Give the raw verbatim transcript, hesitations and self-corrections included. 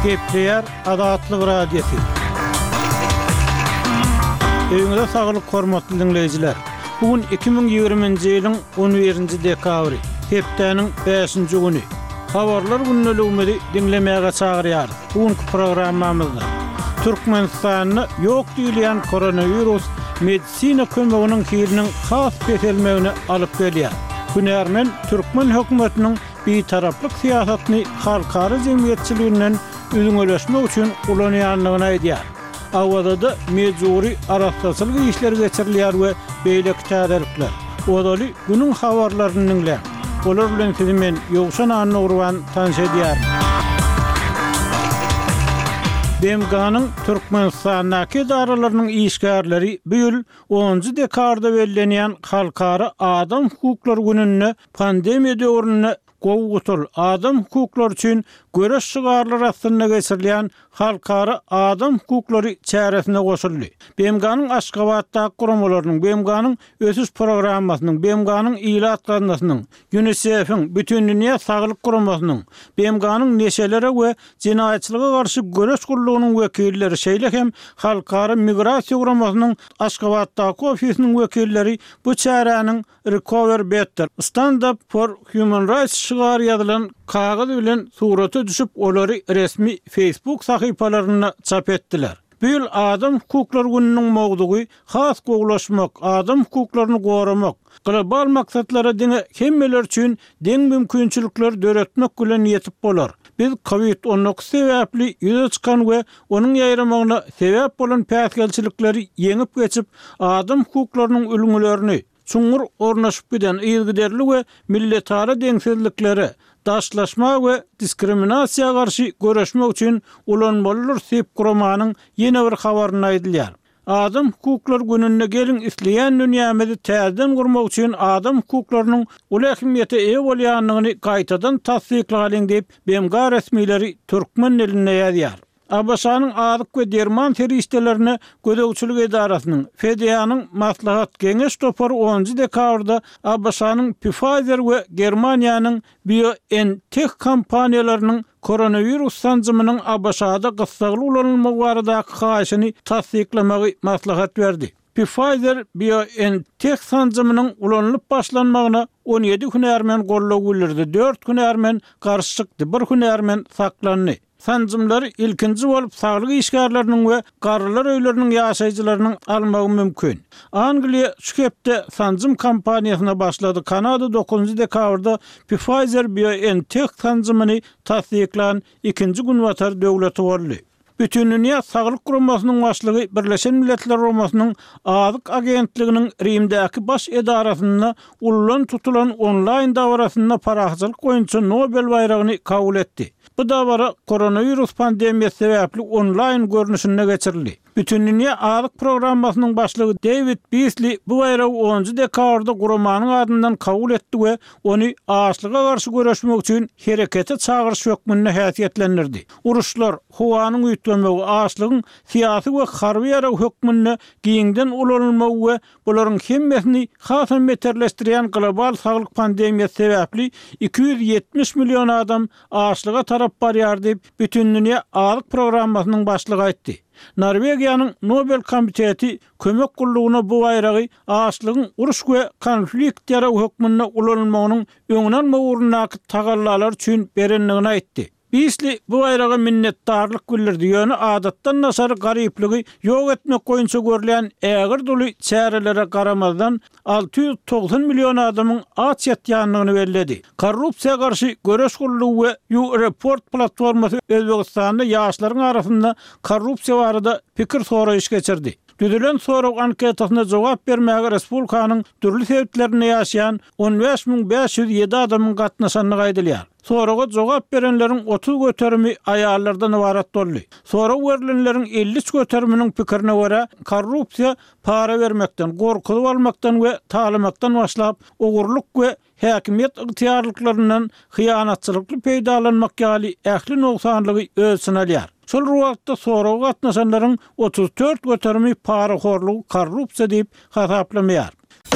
Gepleýär Azatlyk Radiosy. Öýüňize saglyk hormatly diňleýjiler. Bu gün iki müň ýigriminji ýylyň on birinji dekabry, hepdäniň bäşinji güni. Habarlar gündeligimizi diňlemäge çagyrýarys. Bu günki programmamyzda Türkmenistanda ýok diýilýän koronawirus medisina kömeginiň hiliniň has peselmegine alyp gelýär. Hünärmen türkmen hökümetiniň bitaraplyk syýasatyny halkara jemgyýetçiliginden üzňeleşmek üçin ulanýandygyny aýdýar. Awazada mejbury arassaçylyk işleri geçirilýär we beýleki täzelikler. Ozaly günüň habarlaryny diňläň. Olar bilen sizi men Ýowşan Annagurban tanyş edýärin. B M G-nyň Türkmenistandaky edaralarynyň işgärleri bu ýyl onunjy dekabrda bellenýän Halkara Adam Hukuklary gününde pandemiýa döwründe gowy gutul adam hukuklary üçin göreş şygarlary astynda geçirilýän Halkara Adam Hukuklary çäresine goşuldy. B M G-nyň Aşgabatdaky guramalarynyň, B M G-nyň ösüş programmasynyň, B M G-nyň ilat gaznasynyň, UNICEF-iň, Bütindünýä Saglyk Guramasynyň, B M G-nyň neşelere we jenaýatçylyga garşy göreş gullugynyň wekilleri, şeýle hem Halkara Migrasiýa Guramasynyň Aşgabatdaky ofisiniň wekilleri bu çäräniň Recover Better, Stand Up for Human Rights şygary ýazylan kagyz bilen surata düşüp, olary resmi Facebook sahypalarynda çap etdiler. Bu ýyl Adam Hukuklary gününiň mowzugy has gowulaşmak, adam hukuklaryny goramak, global maksatlara diňe hemmeler üçin deň mümkinçilikler döretmek bilen ýetip bolar. Biz COVID on dokuz sebäpli ýüze çykan we onuň ýaýramagyna sebäp bolan päsgelçilikleri ýeňip geçip, adam hukuklarynyň ülňülerini çuňňur ornaşyp giden yzygiderli we milletara deňsizliklere, daşlaşma we diskriminasiýa garşy göreşmek üçin ulanmalydyr diýip guramanyň ýene bir habarynda aýdylýar. Adam hukuklary gününde gelin isleýän dünýämizi täzeden gurmak üçin adam hukuklarynyň uly ähmiýete eýe bolýandygyny gaýtadan tassyklalyň diýip B M G resmileri türkmen dilinde ýazýar. A B Ş-nyň azyk we derman serişdelerine gözegçilik edarasynyň F D A-nyň maslahat geňeş topary onunjy dekabrda A B Ş-nyň Pfizer we Germaniýanyň BioNTech kompaniýalarynyň koronawirus sanjymynyň A B Ş-da gyssagly ulanylmagy baradaky haýyşyny tassyklamagy maslahat berdi. Pfizer BioNTech sanjymynyň ulanylyp başlanmagyna on ýedi hünärmen goldaw bildirdi, dört hünärmen garşy çykdy, bir hünärmen saklandy. Sanjymlary ilkinji bolup saglyk işgärleriniň we garrylar öýleriniň ýaşaýjylarynyň almagy mümkin. Angliýa şu hepde sanjym kampaniýasyna başlady. Kanada dokuzynjy dekabrda Pfizer BioNTech sanjymyny tassyklan ikinji günbatar döwleti boldy. Bütindünýä Saglyk Guramasynyň başlygy Birleşen Milletler Guramasynyň Azyk Agentliginiň Rimdäki baş edarasynda ullan tutulan onlaýn dabarasynda parahatçylyk boýunça Nobel baýragyny kabul etdi. Bu dabara koronawirus pandemiýasy sebäpli onlaýn görnüşinde geçirildi. Bütindünýä Azyk Programmasynyň başlygy David Beasley bu baýragy onunjy dekabrda guramanyň adyndan kabul etdi we ony açlyga garşy göreşmek üçin herekete çagyryş hökmünde häsiýetlendirdi. Uruşlar, howanyň üýtgemegi, açlygyň syýasy we harby ýarag hökmünde giňden ulanylmagy we bularyň hemmesini hasam beterleşdirýän global saglyk pandemiýasy sebäpli iki ýüz ýetmiş million adam açlyga tarap barýar diýip Bütindünýä Azyk Programmasynyň başlygy aýtdy. Norwegiýanyň Nobel komiteti kömek gullugyna bu baýragy açlygyň uruş we konflikt ýaragy hökmünde ulanylmagynyň öňüni almak ugrundaky tagallalar üçin berendigini aýtdy. Beasley bu baýraga minnetdarlyk bildirdi, ýöne adatdan daşary garyplygy ýok etmek boýunça görülýän ägirt uly çärelere garamazdan alty ýüz togsan million adamyň aç ýatýandygyny belledi. Korrupsiýa garşy göreş gullugy we U-Report platformasy Özbegistanda ýaşlaryň arasynda korrupsiýa barada pikir soraýyş geçirdi. Düzülen sorag anketasyna jogap bermäge Respublikanyň dürli sebitlerinde ýaşaýan on bäş müň bäş ýüz ýedi adamyň gatnaşandygy aýdylýar. Soraga jogap berenleriň otuz göterimi aýallardan ybarat boldy. Sorag berilenleriň elli üç göteriminiň pikirine görä, korrupsiýa para bermekden, gorkuzyp almakdan we talamakdan başlap, ogurlyk we häkimiýet ygtyýarlyklaryndan hyýanatçylykly peýdalanmak ýaly ähli nogsanlygy öz içine alýar. Şol bir wagtda soraga gatnaşanlaryň otuz dört göterimi parahorlugy korrupsiýa diýip hasaplamaýar.